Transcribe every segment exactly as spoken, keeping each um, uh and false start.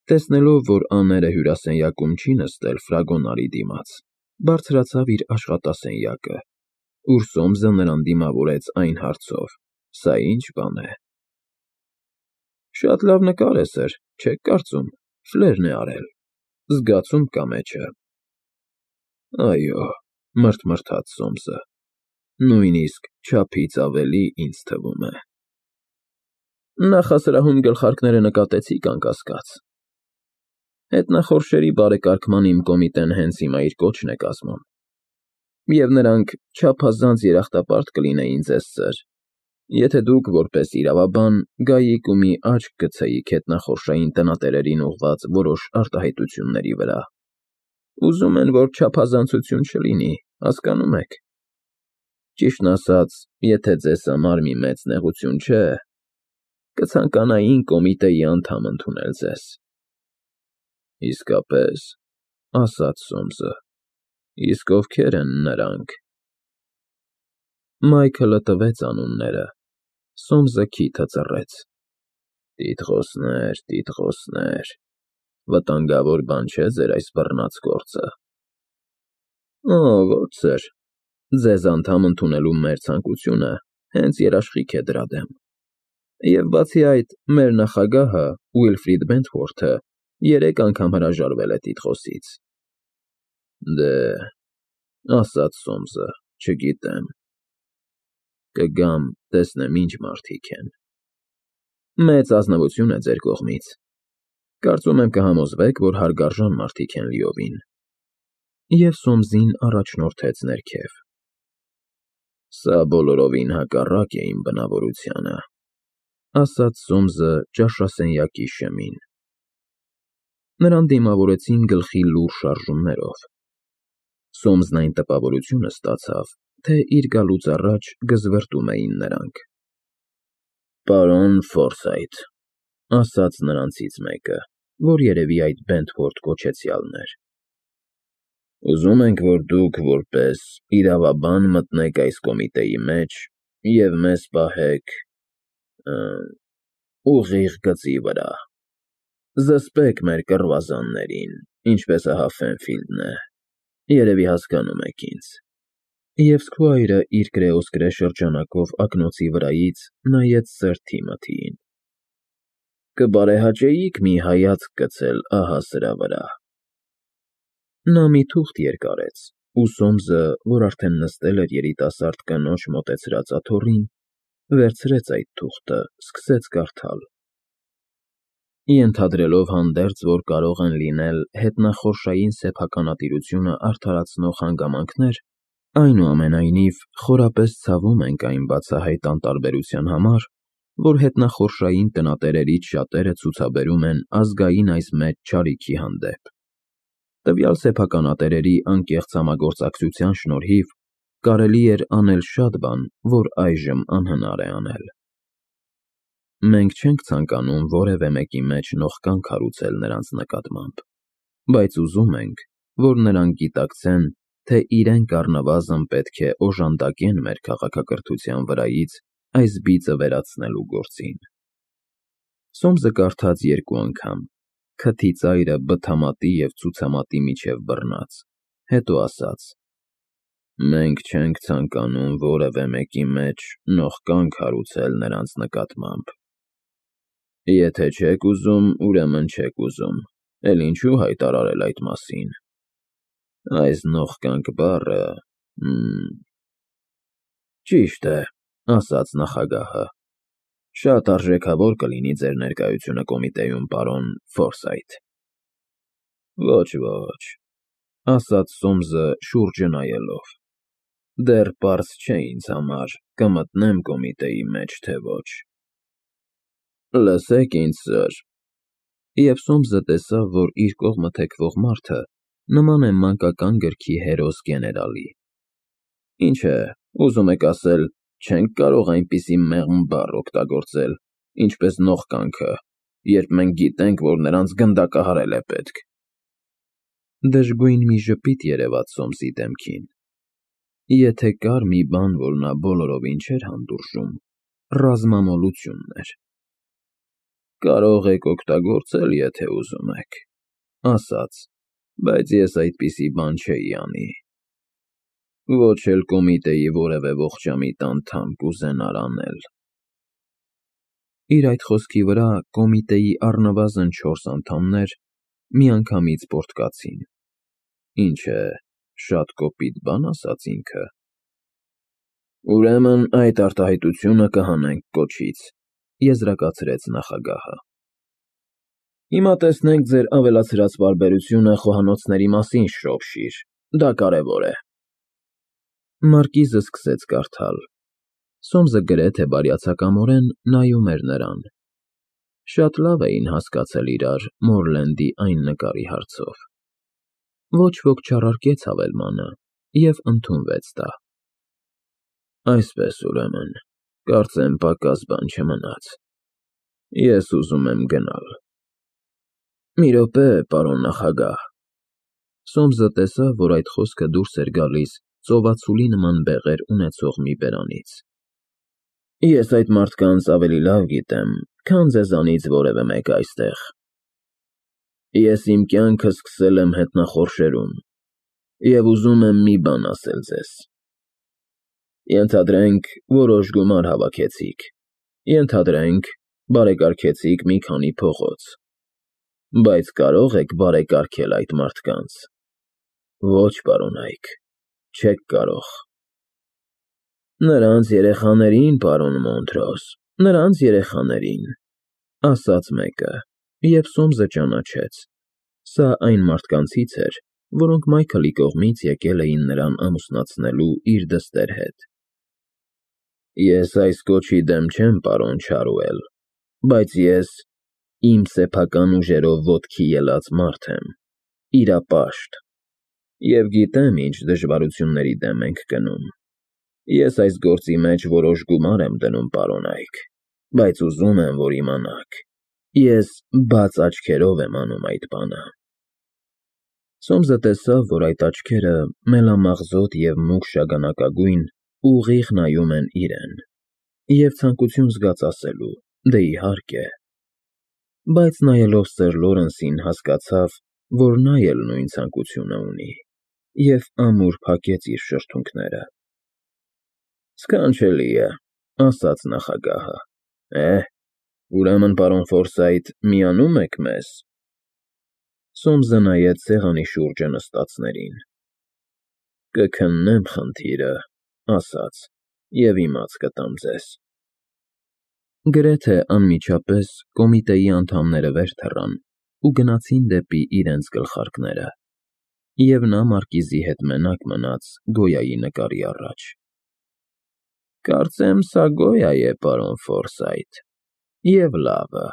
Տեսնելով, որ Անները հյուրասենյակում չի նստել ֆրագոնարի դիմաց, բարձրացավ իր աշխատասենյակը, ուր Սոմսը նրան դիմավորեց այն հարցով. «Սա ի՞նչ բան է»։ «Շատ լավ նկար է, սըր, չեք կարծում, ֆլերն է արել, զգացում կա մեջը»։ «Այո», մրթմրթաց Սոմսը, «նույնիսկ չափից ավելի, ինձ թվում է»։ «Նախասրահում գլխարկները նկատեցի՞ք, անկասկած։ Հետնախորշերի բարեկարգման իմ կոմիտեն հենց հիմա իր կոչն է կազմում, և նրանք չափազանց երախտապարտ կլինեին ձեզ, սըր, եթե դուք, որպես իրավաբան, գայիք ու մի աչք գցեիք հետնախորշային տնատերերին ուղղված որոշ արտահայտությունների վրա։ Ուզում են, որ չափազանցություն չլինի, հասկանո՞ւմ եք։ Ճիշտն ասած, եթե ձեզ համար մի մեծ նեղություն չէ, կցանկանային կոմիտեի անդամ ընդունել ձեզ»։ «Իսկապես», ասաց Սոմսը, «իսկ ովքեր են նրանք»։ Մայքլը տվեց անունները։ Սոմսը քիթը ծռեց։ «Տիտղոսներ, տիտղոսներ, վտանգավոր բան չէ ձեր այս բռնած գործը»։ «Օ, ոչ, սըր, ձեզ անդամ ընդունելու մեր ցանկությունը հենց երաշխիք է դրա դեմ, և բացի այդ, մեր նախագահը՝ Ուիլֆրիդ Բենթվորթը, երեք անգամ հրաժարվել է տիտղոսից»։ «Դե,֊ ասաց Սոմսը,֊ չգիտեմ։ Կգամ, տեսնեմ ինչ մարդիկ են։ Մեծ ազնվություն է ձեր կողմից։ Կարծում եմ կհամոզվեք, որ հարգարժան մարդիկ են լիովին»։ Եվ Սոմսին առաջնորդեց ներքև։ «Սա բոլորովին հակառակ է իմ բնավորությանը», ասաց Սոմսը ճաշասենյակի շեմին։ Նրան դիմավորեցին գլխի լուռ շարժումներով։ Սոմսն այն տպավորությունը ստացավ, թե իր գալուց առաջ գզվռտում էին նրանք։ «Պարոն Ֆորսայթ», ասաց նրանցից մեկը, որ երևի այդ Բենթվորթ կոչեցյալն էր, «ուզում ենք, որ դուք որպես իրավաբան մտնեք այս կոմիտեի մեջ և մեզ պահեք… ուղիղ գծի վրա, զսպեք մեր կռվազաններին, ինչպես ահա Ֆենֆիլդն է, երևի հասկանում եք ինձ»։ Եվ Սքվայրը իր կրեոսկրե շրջանակով ակնոցի վրայից նայեց սըր Թիմոթիին։ «Կբարեհաճեիք մի հայացք գցել ահա սրա վրա»։ Նա մի թուղթ երկարեց, ու Սոմսը, որ արդեն նստել էր երիտասարդ կնոջ մոտեցրած աթոռին, վերցրեց այդ թուղթը, սկսեց կարդալ։ Ենթադրելով հանդերձ, որ կարող են լինել հետնախորշային սեփականատիրությունը արդարացնող հանգամանքներ, այնուամենայնիվ խորապես ցավում ենք այն բացահայտ անտարբերության համար, որ հետնախորշային տնատերերից շատերը ցուցաբերում են ազգային այս մեծ չարիքի հանդեպ։ Տվյալ սեփականատերերի անկեղծ համագործակցության շնորհիվ կարելի էր անել շատ բան, որ այժմ անհնար է անել։ Մենք չենք ցանկանում որևէ մեկի մեջ նողկան քարոզել նրանց նկատմամբ, բայց ուզում ենք, որ նրանք գիտակցեն, թե իրենք առնվազն պետք է օժանդակեն մեր քաղաքակրթության վրայից այս բիծը վերացնելու գործին։ Սոմսը կարդաց երկու անգամ, քթի ծայրը բթամատի և ցուցամատի միջև բռնած, հետո ասաց. «Մենք չենք ցանկանում որևէ մեկի մեջ նողկան քարոզել նրանց նկատմամբ։ Եթե չեք ուզում, ուրեմն չեք ուզում, էլ ինչու հայտարարել այդ մասին։ Այս նողկանք բառը… մմ… Ճիշտ է, ասաց նախագահը, շատ արժեքավոր կլինի ձեր ներկայությունը կոմիտեում, պարոն Ֆորսայթ»։ Ոչ, ոչ, ասաց Սոմսը շուրջը նայելով, դեռ պարզ չէ ինձ համար՝ կմտնեմ կոմիտեի մեջ, թե ոչ։ Լսեք ինձ, սըր։ Եվ Սոմսը տեսավ, որ իր կողմը թեքվող մարդը նման է մանկական գրքի հերոս գեներալի։ Ինչ է, ուզում եք ասել, չենք կարող այնպիսի մեղմ բառ օգտագործել, ինչպես նողկանքը, երբ մենք գիտենք, որ նրանց գնդակահարել է պետք։ Դժգույն մի ժպիտ երևաց Սոմսի դեմքին։ Եթե կար մի բան, որ նա բոլորովին չէր հանդուրժում, ռազմամոլությունն էր։ Կարող եք օգտագործել, եթե ուզում եք, ասաց, բայց ես այդպիսի բան չէի անի։ Ոչ էլ կոմիտեի որևէ ողջամիտ անդամ կուզենար անել։ Իր այդ խոսքի վրա կոմիտեի առնվազն չորս անդամներ միանգամից պոռթկացին։ Ինչ է, շատ կոպիտ բան ասաց ինքը։ Ուրեմն այդ արտահայտությունը կհանենք կոչից, եզրակացրեց նախագահը։ Հիմա տեսնենք ձեր ավելացրած պարբերությունը խոհանոցների մասին, Շրոփշիր, դա կարևոր է։ Մարկիզը սկսեց կարդալ։ Սոմսը գրեթե բարյացակամորեն նայում էր նրան։ Շատ լավ էին հասկացել իրար Մորլենդի այն նկարի հարցով։ Ոչ ոք չառարկեց հավելմանը և ընդունվեց դա։ Այսպես, ուրեմն, կարծեմ պակաս բան չմնաց։ Ես ուզում եմ գնալ։ Մի րոպե, պարոն նախագահ։ Սոմսը տեսավ, որ այդ խոսքը դուրս էր գալիս ծովածուլի նման բեղեր ունեցող մի բերանից։ Ես այդ մարդկանց ավելի լավ գիտեմ, քան ձեզանից որևէ մեկը այստեղ։ Ես իմ կյանքը սկսել եմ հետնախորշերում և ուզում եմ մի բան ասել ձեզ։ Ենթադրենք, որոշ գումար հավաքեցիք, ենթադրենք, բարեկարգեցիք մի քանի փողոց, բայց կարո՞ղ եք բարեկարգել այդ մարդկանց։ Ոչ, պարոն Այք, չեք կարող։ Նրանց երեխաներին, պարոն Մոնտրոս, նրանց երեխաներին, ասաց մեկը, և Սոմսը ճանաչեց։ Սա այն մարդկանցից էր, որոնք Մայքլի կողմից եկել էին նրան ամուսնացնելու իր դստեր հետ։ Ես այս կոչի դեմ չեմ, պարոն Չարուել, բայց ես իմ սեփական ուժերով ոտքի ելած մարդ եմ, իրապաշտ, և գիտեմ ինչ դժվարությունների դեմ ենք գնում։ Ես այս գործի մեջ որոշ գումար եմ դնում, պարոն Այք, բայց ուզում եմ, որ իմանաք, ես բաց աչքերով եմ անում այդ բանը։ Սոմսը տեսավ, որ այդ աչքերը մելամաղձոտ և մուգ շագանակագույն ուղիղ նայում են իրեն, և ցանկություն զգաց ասելու. դե իհարկե։ Բայց նայելով սըր Լորենսին հասկացավ, որ նա էլ նույն ցանկությունը ունի, և ամուր փակեց իր շրթունքները։ Սքանչելի է, ասաց նախագահը։ Է, ուրեմն, պարոն Ֆորսայթ, միանո՞ւմ եք մեզ։ Սոմսը նայեց սեղանի շուրջը նստածներին։ Կքննեմ խնդիրը, ասաց, և իմաց կտամ ձեզ։ Գրեթե անմիջապես կոմիտեի անդամները վեր թռան ու գնացին դեպի իրենց գլխարկները, և նա մարկիզի հետ մենակ մնաց Գոյայի նկարի առաջ։ Կարծեմ սա Գոյա է, պարոն Ֆորսայթ, և լավը։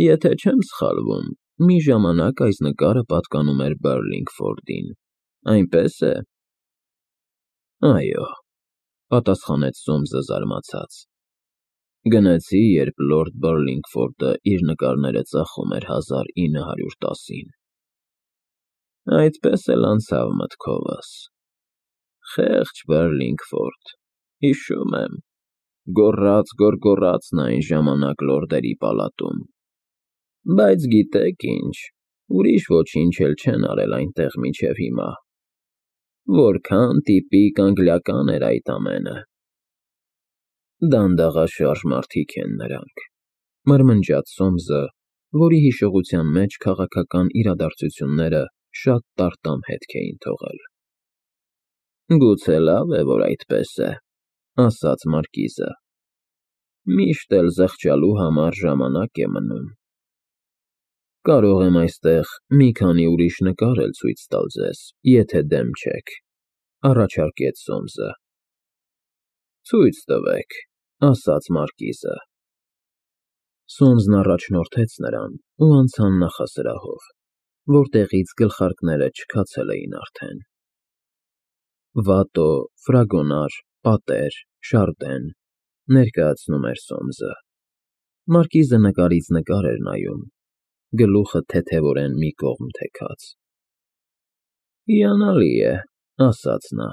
Եթե չեմ սխալվում, մի ժամանակ այս նկարը պատկանում էր Բըրլինգֆորդին, այնպե՞ս է։ Այո, պատասխանեց Սոմսը զարմացած։ Գնեցի, երբ լորդ Բըրլինգֆորդը իր նկարները ծախում էր հազար ինը հարյուր տասին։ Այդպես էլ անցավ մտքովս։ Խեղճ Բըրլինգֆորդ, հիշում եմ, գոռաց֊գոռգոռաց նա այն ժամանակ լորդերի պալատում։ Բայց գիտեք ինչ, ուրիշ ոչինչ էլ չեն արել այնտեղ մինչև հիմա։ Որքան տիպիկ անգլիական էր այդ ամենը։ Դանդաղաշարժ մարդիկ են նրանք, մրմնջաց Սոմսը, որի հիշողության մեջ քաղաքական իրադարձությունները շատ տարտամ հետք էին թողել։ Գուցե լավ է, որ այդպես է, ասաց մարկիզը։ Միշտ էլ զղջալու համար ժամանակ է մնում։ Կարող եմ այստեղ մի քանի ուրիշ նկար էլ ցույց տալ ձեզ, եթե դեմ չեք, առաջարկեց Սոմսը։ Ցույց տվեք, ասաց մարկիզը։ Սոմսն առաջնորդեց նրան ու անցան նախասրահով, որտեղից գլխարկները չքացել էին արդեն։ Վատո, ֆրագոնար, պատեր, շարդեն, ներկայացնում էր Սոմսը։ Մարկիզը նկարից նկար էր նայում, գլուխը թեթևորեն մի կողմ թեքած։ Հիանալի է, ասաց նա,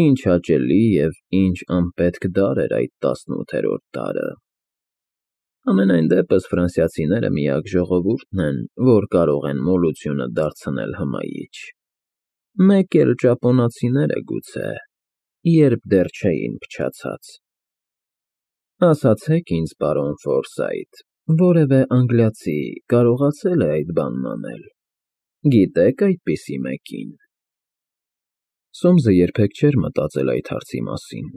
ինչ հաճելի և ինչ անպետք դար էր այդ տասնութերորդ դարը։ Ամենայն դեպս ֆրանսիացիները միակ ժողովուրդն են, որ կարող են մոլությունը դարձնել հմայիչ։ Մեկ էլ ճապոնացիները գուցե, երբ դեռ չէին փչացած։ Ասացեք ինձ, պարոն Ֆորսայթ, որևէ անգլիացի կարողացել է այդ բանն անել։ Գիտե՞ք այդպիսի մեկին։ Սոմսը երբեք չէր մտածել այդ հարցի մասին,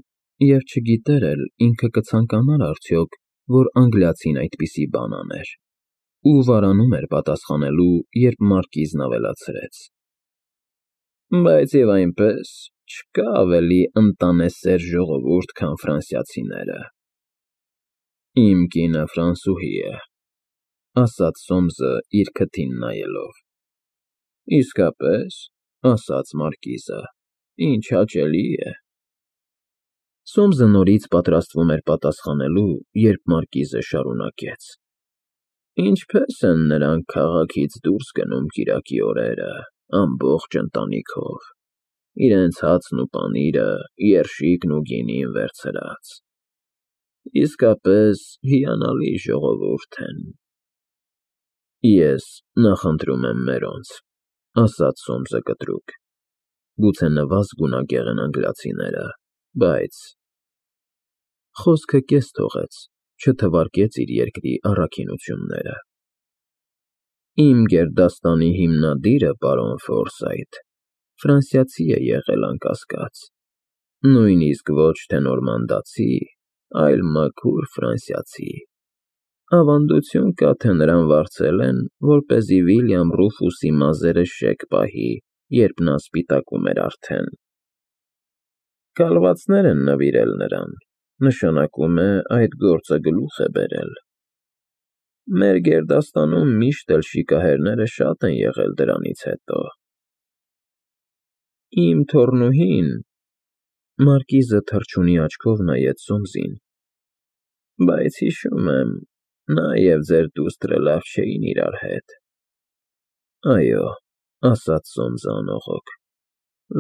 և չգիտեր էլ ինքը կցանկանար արդյոք, որ անգլիացին այդպիսի բան աներ, ու վարանում էր պատասխանելու, երբ մարկիզն ավելացրեց. Բայց և այնպես, չկա ավելի ընտանեսեր ժողովուրդ, քան ֆրանսիացիները։ Իմ կինը ֆրանսուհի է, ասաց Սոմսը իր քթին նայելով։ Իսկապե՞ս, ասաց մարկիզը, ինչ հաճելի է։ Սոմսը նորից պատրաստվում էր պատասխանելու, երբ մարկիզը շարունակեց. Ինչպե՞ս են նրանք քաղաքից դուրս գնում կիրակի օրերը, ամբողջ ընտանիքով, իրենց հացն ու պանիրը, երշիկն ու գինին վերցրած։ Իսկապես հիանալի ժողովուրդ են։ Ես նախընտրում եմ մերոնց, ասաց Սոմսը կտրուկ, գուցե նվազ գունագեղ են անգլիացիները, բայց… Խոսքը կես թողեց, չթվարկեց իր երկրի առաքինությունները։ Իմ գերդաստանի հիմնադիրը, պարոն Ֆորսայթ, ֆրանսիացի է եղել անկասկած, նույնիսկ ոչ թե նորմանդացի, այլ մաքուր ֆրանսիացի։ Ավանդություն կա, թե նրան վարձել են, որպեսզի Վիլյամ Ռուֆուսի մազերը շեկ պահի, երբ նա սպիտակում էր արդեն։ Կալվածներ են նվիրել նրան, նշանակում է այդ գործը գլուխ է բերել։ Մեր գերդաստանում միշտ էլ շիկահերները շատ են եղել դրանից հետո։ Իմ թոռնուհին… Մարկիզը թռչունի աչքով նայեց Սոմսին։ Բայց հիշում եմ, նա և ձեր դուստրը լավ չէին իրար հետ։ Այո, ասաց Սոմսը անողոք,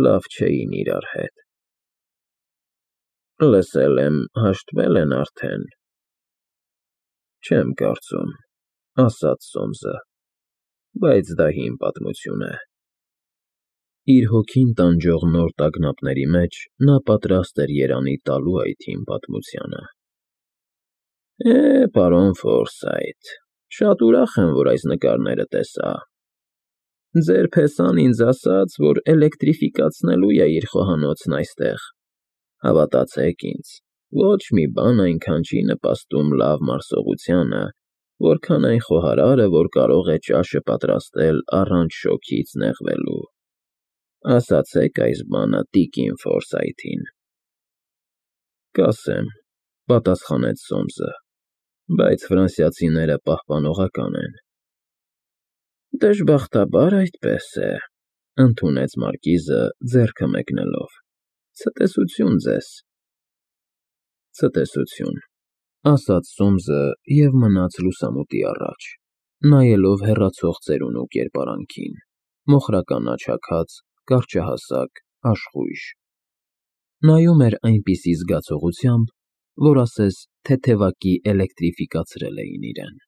լավ չէին իրար հետ։ Լսել եմ, հաշտվել են արդեն։ Չեմ կարծում, ասաց Սոմսը, բայց դա հին պատմություն է։ Իր հոգին տանջող նոր տագնապների մեջ նա պատրաստ էր երանի տալու այդ հին պատմությանը։ Է, պարոն Ֆորսայթ, շատ ուրախ եմ, որ այս նկարները տեսա։ Ձեր փեսան ինձ ասաց, որ էլեկտրիֆիկացնելու է իր խոհանոցն այստեղ։ Հավատացեք ինձ, ոչ մի բան այնքան չի նպաստում լավ մարսողությանը, որքան այն խոհարարը, որ կարող է ճաշը պատրաստել առանց շոգից նեղվելու։ Ասացեք այս բանը տիկին Ֆորսայթին։ Կասեմ, պատասխանեց Սոմսը, բայց ֆրանսիացիները պահպանողական են։ Դժբախտաբար այդպես է, ընդունեց մարկիզը ձեռքը մեկնելով։ Ցտեսություն ձեզ։ Ցտեսություն, ասաց Սոմսը և մնաց լուսամուտի առաջ, նայելով հեռացող ծերունու կերպարանքին, մոխրական աչաքած, կարճահասակ, աշխույժ։ Նայում էր այնպիսի զգացողությամբ, որ ասես թեթևակի էլեկտրիֆիկացրել էին իրեն։